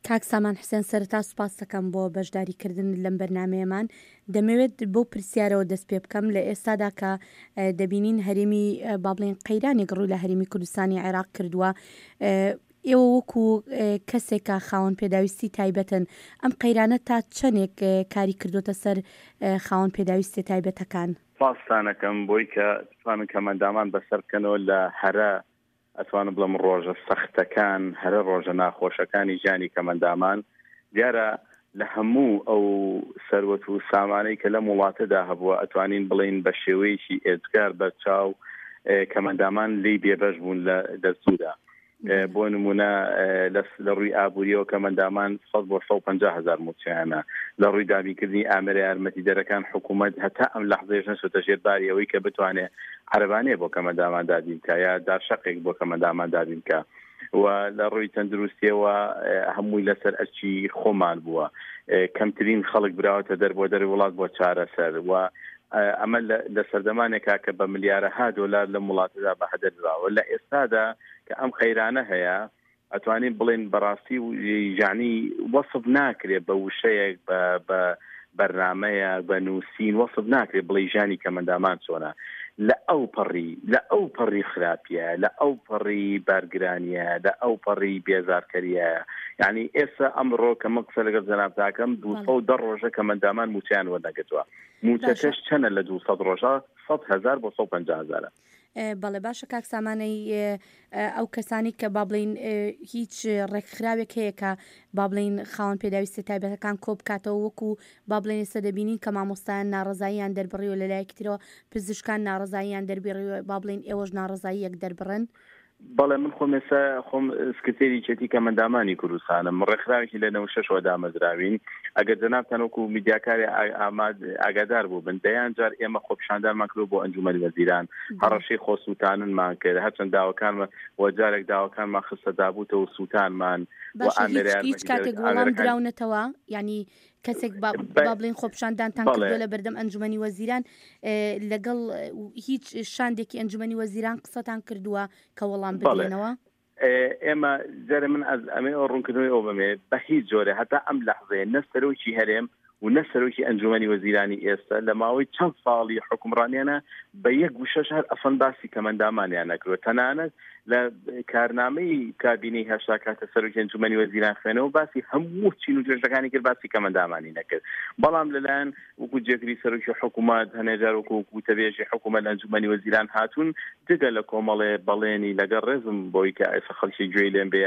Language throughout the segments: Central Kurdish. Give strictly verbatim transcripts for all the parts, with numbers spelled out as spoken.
کاک سامان حوسێن، سەرەتا سوپاس دەکەم بۆ بەشداریکردن لەم بەرنامەیەمان. دەمەوێت بەو پرسیارەوە دەست پێ بکەم، لە ئێستادا کە دەبینین هەرێمی با بڵێن قەیرانێک ڕووی لە هەرێمی کوردستانی عێراق کردووە، ئێوە وەکو کەسێکە خاوەن پێداویستی تایبەتن، ئەم قەیرانە تا چەندێک کاری کردوتە سەر خاوەن پێداویستی تایبەتەکان؟ سوپاستانەکەم بۆی کە بتوانن کەمەندامان بەسەر بکەنەوە لە هەرە ئەتوانم بڵێم ڕۆژە سەختەکان، هەرە ڕۆژە ناخۆشەکانی ژیانی کەمەندامان. دیارە لە هەموو ئەو سەروەت و سامانەی کە لەم وڵاتەدا هەبووە ئەتوانین بڵێین بە شێوەیەکی ئێجگار بەرچاو کەمەندامان لێی بێبەش بوون لە دەستوودا. بۆ نمونە لە ڕووی ئابووریەوە کەمەندامان سەد بۆ سەد و پەنجا هەزار مووچەیانە، لە ڕووی دابینکردنی ئامێرە یارمەتیدەرەکان حکوومەت هەتا ئەم لەحزەیەش نەچۆتە ژێر باری ئەوەی کە بتوانێت عەرەبانەیە بۆ کەمەندامان دابین بکە یا دارشەقێک بۆ کەمەندامان دابین بکە. و لە ڕووی تەندروستیەوە هەمووی لەسەر ئەرکی خۆمان بووە، کەمترین خەڵک براوەتە دەر بۆ دەر وڵات بۆ چارەسەر. و ئەمە لە سەردەمانێکا کە بە ملیارەها دۆلار لەم وڵاتەدا بە هەدەر دراوە. لە ئێستادا کە ئەم قەیرانە هەیە ئەتوانین بڵێن بەڕاستی یعنی وەصف ناکرێت بە وشەیەک، بە بە بەرنامەیە، بە نووسین وەصف ناکرێت بڵێ ژیانی کەمەندامان چۆنە. لە ئەو پەڕی لە ئەو پەڕی خراپیە، لە ئەو پەڕی بارگرانیە، لە ئەو پەڕی بێزارکەریە. یعنی ئێستا ئەمڕۆ کە من قسە لەگەڵ جەنابتاکەم دوو سەد و دە ڕۆژە کەمەندامان موچەیان وەرنەگرتووە. موچەکەش چەنە لە دوو سەد ڕۆژە؟ سەد هەزار بۆ سەد و پەنجا هەزارە. بەڵێ باشە کاک سامانەی، ئەو کەسانی کە با بڵین هیچ ڕێکخراوێک هەیە کە با بڵین خاوەن پێداویستی تایبەتەکان کۆ بکاتەوە، وەکو با بڵێن ئێستا دەبینین کە مامۆستایان ناڕەزاییان دەربڕیوە، لە لایەکی ترەوە پزیشکان ناڕەزاییان دەربڕیوە، با بڵین ئێوەش ناڕەزاییەک دەربڕن؟ بەڵێ من خۆم ئێستا خۆم سکرتێری یەکێتی کەمەندامانی کوردستانم، ڕێکخراوێکی لە نەوەد و شەشەوە دامەزراوین. ئەگەر جەنابتان وەکو میدیاکاری ئاگادار بوو بن، دەیان جار ئێمە خۆپیشاندانمان کردو بۆ ئەنجومەنی وەزیران، هەڕەشەی خۆسووتاننمان کرد، هەرچەند داواکانمان و جارێک داواکانمان خستە دابووتەوە سووتانمان. هیچ کاتێک وەڵام دراونەتەوە؟ یعنی کەسێک با بڵێن خۆپیشاندانتان کردووە لە بەردەم ئەنجومەنی وەزیران، لەگەڵ هیچ شاندێکی ئەنجومەنی وەزیران قسەتان کردووە کە وەڵام بدرێنەوە؟ ئێمە جارێ من ئەز ئەمێ ئەو ڕوونکردنەوەی ئەو بەمێ بە هیچ جۆرێ هەتا ئەم لەحزەیە نە سەرۆکی هەرێم و نە سەرۆکی ئەنجومەنی وەزیرانی ئێستا لە ماوەی چەند ساڵی حکومڕانیانە بە یەک وشەش هەر ئەسڵەن باسی کەمەندامانیان نەکردووە. تەنانەت لە کارنامەی کابینەی هەشتا کاتە سەرۆکی ئەنجومەنی وەزیران خوێنەوە باسی هەموو چین و توێژەکانی کرد، باسی کەمەندامانی نەکرد. بەڵام لەلایەن وەکو جێگری سەرۆکی حکوومەت هەنێجار وەکو وتەبێژی حکوومەت لە ئەنجومەنی وەزیران هاتوون، جگە لە کۆمەڵێ بەڵێنی لەگەڵ ڕێزم بۆی کە ئێستا خەڵکی گوێی لێم بێ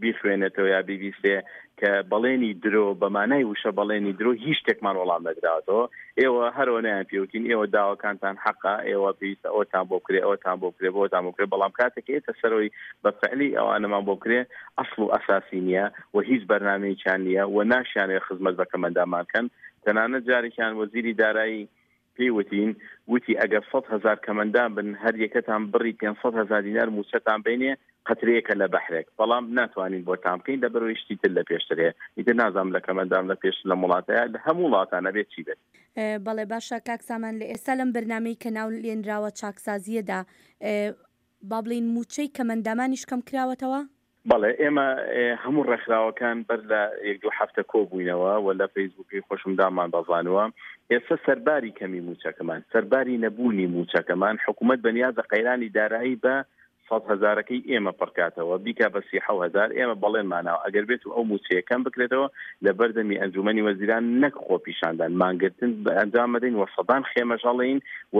بیخوێنێتەوە یا بیبیستێ کە بەڵێنی درۆ بە مانای وشە بەڵێنی درۆ هیچ شتێکمان وەڵام نەدراوەتەوە. ئێوە هەرەوە نایان پێوتین ئێوە داواکانتان حەقە، ئێوە پێویستە ئەوتان بۆ بکرێ، ئەوتان بۆ بکرێ، بۆتان بۆ بکرێ، بەڵام کاتێک ئێتە سەرەوەی بە فعلی ئەوانەمان بۆ بکرێ ئەسڵ و ئەساسی نییە و هیچ بەرنامەیەکیان نییە و ناشیانەوێ خزمەت بە کەمەندامان کەن. تەنانەت جارێکیان وەزیری دارایی پێی وتین، وتی ئەگەر سەد هەزار کەمەندان بن هەر یەکەتان بڕی پێنج سەد هەزار دینار موچەتان بینێ قەترەیەکە لە بەحرێک، بەڵام ناتوانین بۆتان بکەین لەبەرەوەی شتی تر لە پێشتر هەیە. ئیتر نازانم لە کەمەندام لە پێشتر لە وڵاتەیە لە هەموو وڵاتانە بێت چی بێت. بەڵێ باشە کاک سامان، لە ئێستا لەم بەرنامەی کە ناو لێنراوە چاکسازیەدا با بڵێین موچەی کەمەندامانیش کەم کراوەتەوە؟ بەڵێ ئێمە هەموو ڕێکخراوەکان بەر لە یەک دوو هەفتە کۆبووینەوە و لە فەیسبووکی خۆشم دامان بەزانووە. ئێستا سەرباری کەمی موچەکەمان، سەرباری نەبوونی موچەکەمان، حکوومەت بەنیازە قەیرانی دارایی بە سەد هەزارەکەی ئێمە پڕکاتەوە، بیکا بە سی حەو هەزار. ئێمە بەڵێنماناوە ئەگەر بێت و ئەو موچەیە کەم بکرێتەوە لە بەردەمی ئەنجومەنی وەزیران نەک خۆپیشاندان مانگرتن ئەنجام بدەین و سەدان خێمەش هەڵێین و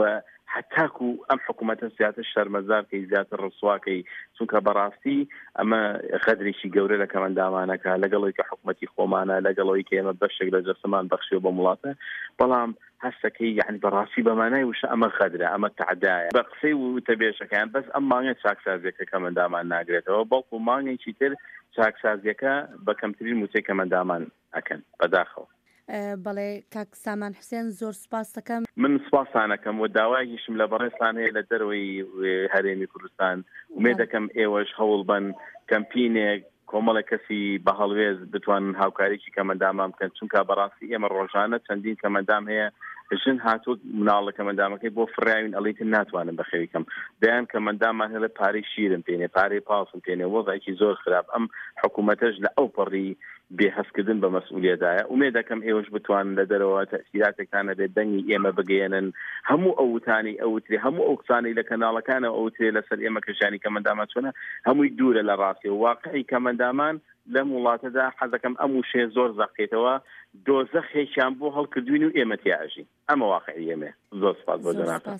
هەتاکو ئەم حکوومەتە زیاتر شەرمەزارکەی، زیاتر ڕسواکەی، چونکە بەڕاستی ئەمە غەدرێکی گەورە لە کەمەندامانەکە، لەگەڵەوەی کە حکوومەتی خۆمانە، لەگەڵەوەی کە ئێمە بەشێک لە جەستەمان بەخشیوە بە وڵاتە، بەڵام هەستەکەی یعنی بەڕاستی بەمانای وشە ئەمە غەدرە، ئەمە تعدایە. بە قسەی وتەبێژەکەیان بەس ئەم مانگە چاکسازیەکە کەمەندامان ناگرێتەوە، بەڵکو مانگێکی تر چاکسازیەکە بە کەمترین موچەی کەمەندامان ئەکەن. بەداخەوە. بەڵێ کاک سامان حوسێن زۆر سوپاس دەکەم. من سوپاسانەکەم و داوایەکیشم لە بەڕێزتان هەیە لە دەرەوەی هەرێمی کوردستان، ئومێد دەکەم ئێوەش هەوڵ بن کەمپینێک کۆمەڵێک کەسی بە هەڵوێز بتوانن هاوکاریکی کەمەندامان بکەن، چونکە بەڕاستی ئێمە ڕۆژانە چەندین کەمەندام هەیە ژن هاتووە مناڵە کەمەندامەکەی بۆ فڕاوین ئەڵیتر ناتوانم بەخێوی کەم. دەیان کەمەندامان هەیە پارەی شیرم پێنێ، پارەی پاسم پێنێ، وەزعێکی زۆر خراپ. ئەم حکوومەتەش لە ئەو پەڕی بێ هەستکردن بە مەسئولیەتدایە. ئومێد دەکەم ئێوەش بتوانن لە دەرەوە تەئسیراتێکتان هەبێت، دەنگی ئێمە بگەیەنن، هەموو ئەو وتانەی ئەوترێ، هەموو ئەو قسانەی لە کەناڵەکانەوە ئەوترێ لەسەر ئێمە کە ژیانی کەمەندامان چۆنە، هەمووی دوورە لە ڕاستی و واقعی کەمەندامان لەم وڵاتەدا. حەزەکەم ئەم وشەیە زۆر زەقێتەوە، دۆزەخێکیان بۆ هەڵکردوین و ئێمە تیا ئەژین. ئەمە واقعی ئێمە. زۆر سپاس بۆ جەنابتان.